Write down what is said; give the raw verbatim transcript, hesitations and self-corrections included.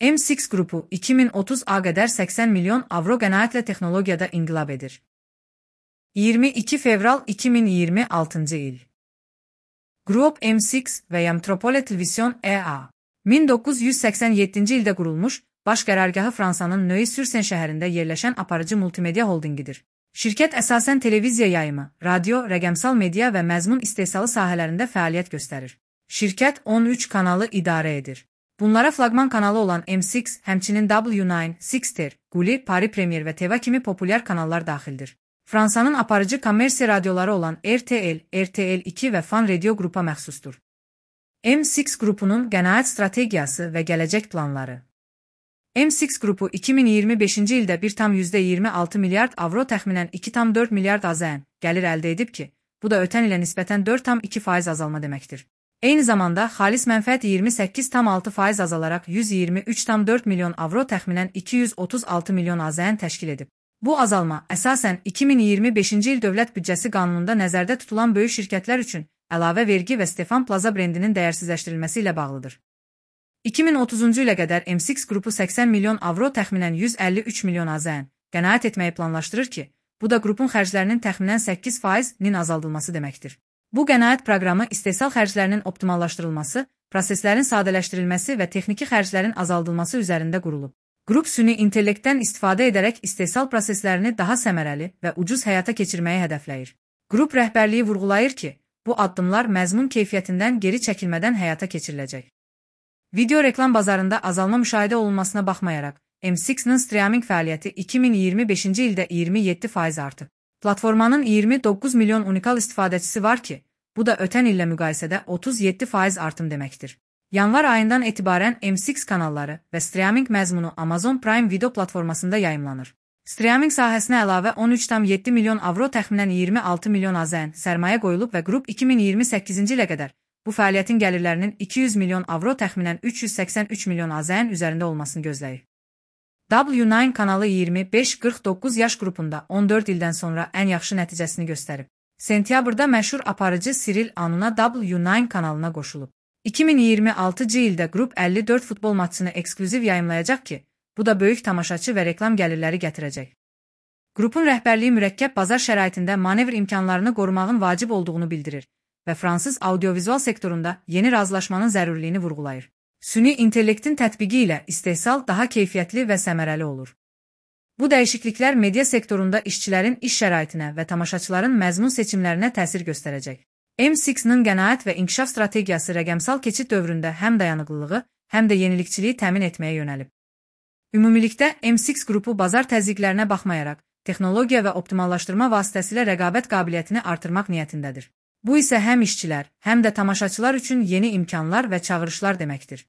M altı qrupu iki min otuz'a qədər səksən milyon avro qənaətlə texnologiyada inqilab edir. iyirmi iki fevral iki min iyirmi altıncı il. Grup M altı və Metropole Television E A min doqquz yüz səksən yeddinci ildə qurulmuş, baş qərargahı Fransanın Neuilly-sur-Seine şəhərində yerləşən aparıcı multimedia holdingidir. Şirkət əsasən televiziya yayımı, radio, rəqəmsal media və məzmun istehsalı sahələrində fəaliyyət göstərir. Şirkət on üç kanalı idarə edir. Bunlara flaqman kanalı olan M altı, həmçinin W doqquz, Sixter, Gulli, Paris Premier və T V kimi populyar kanallar daxildir. Fransanın aparıcı kommersiya radioları olan R T L, R T L iki və Fan Radio qrupa məxsusdur. M altı qrupunun qənaət strategiyası və gələcək planları. M altı qrupu iki min iyirmi beşinci ildə bir tam yüzdə iyirmi altı milyard avro təxminən iki tam dörd milyard AZN gəlir əldə edib ki, bu da ötən ilə nisbətən dörd tam iki faiz azalma deməkdir. Eyni zamanda xalis mənfəət iyirmi səkkiz tam altı faiz azalaraq yüz iyirmi üç tam dörd milyon avro təxminən iki yüz otuz altı milyon AZN təşkil edib. Bu azalma əsasən iki min iyirmi beşinci il dövlət büdcəsi qanununda nəzərdə tutulan böyük şirkətlər üçün əlavə vergi və Stefan Plaza brendinin dəyərsizləşdirilməsi ilə bağlıdır. iki min otuzuncu ilə qədər M altı qrupu səksən milyon avro təxminən yüz əlli üç milyon AZN qənaət etməyi planlaşdırır ki, bu da qrupun xərclərinin təxminən səkkiz faizinin azaldılması deməkdir. Bu qənaət proqramı istehsal xərclərinin optimallaşdırılması, proseslərin sadələşdirilməsi və texniki xərclərin azaldılması üzərində qurulub. Qrup süni intellektdən istifadə edərək istehsal proseslərini daha səmərəli və ucuz həyata keçirməyi hədəfləyir. Qrup rəhbərliyi vurğulayır ki, bu addımlar məzmun keyfiyyətindən geri çəkilmədən həyata keçiriləcək. Video reklam bazarında azalma müşahidə olunmasına baxmayaraq, M altı-nın streaming fəaliyyəti iki min iyirmi beşinci ildə iyirmi yeddi faiz artıb. Platformanın iyirmi doqquz milyon unikal istifadəçisi var ki, bu da ötən illə müqayisədə otuz yeddi faiz artım deməkdir. Yanvar ayından etibarən M altı kanalları və streaming məzmunu Amazon Prime Video platformasında yayımlanır. Streaming sahəsinə əlavə on üç tam yeddi milyon avro təxminən iyirmi altı milyon AZN sərmayə qoyulub və qrup iki min iyirmi səkkizinci ilə qədər bu fəaliyyətin gəlirlərinin iki yüz milyon avro təxminən üç yüz səksən üç milyon AZN üzərində olmasını gözləyir. W doqquz kanalı iyirmi beş qırx doqquz yaş qrupunda on dörd ildən sonra ən yaxşı nəticəsini göstərib. Sentyabrda məşhur aparıcı Cyril Anuna W doqquz kanalına qoşulub. iki min iyirmi altıncı ildə qrup əlli dörd futbol maçını ekskluziv yayımlayacaq ki, bu da böyük tamaşaçı və reklam gəlirləri gətirəcək. Qrupun rəhbərliyi mürəkkəb bazar şəraitində manevr imkanlarını qorumağın vacib olduğunu bildirir və fransız audiovizual sektorunda yeni razılaşmanın zərurliyini vurğulayır. Süni intellektin tətbiqi ilə istehsal daha keyfiyyətli və səmərəli olur. Bu dəyişikliklər media sektorunda işçilərin iş şəraitinə və tamaşaçıların məzmun seçimlərinə təsir göstərəcək. M altı-nın qənaət və inkişaf strategiyası rəqəmsal keçid dövründə həm dayanıqlılığı, həm də yenilikçiliyi təmin etməyə yönəlib. Ümumilikdə M altı qrupu bazar təzyiqlərinə baxmayaraq, texnologiya və optimallaşdırma vasitəsilə rəqabət qabiliyyətini artırmaq niyyətindədir. Bu isə həm işçilər, həm də tamaşaçılar üçün yeni imkanlar və çağırışlar deməkdir.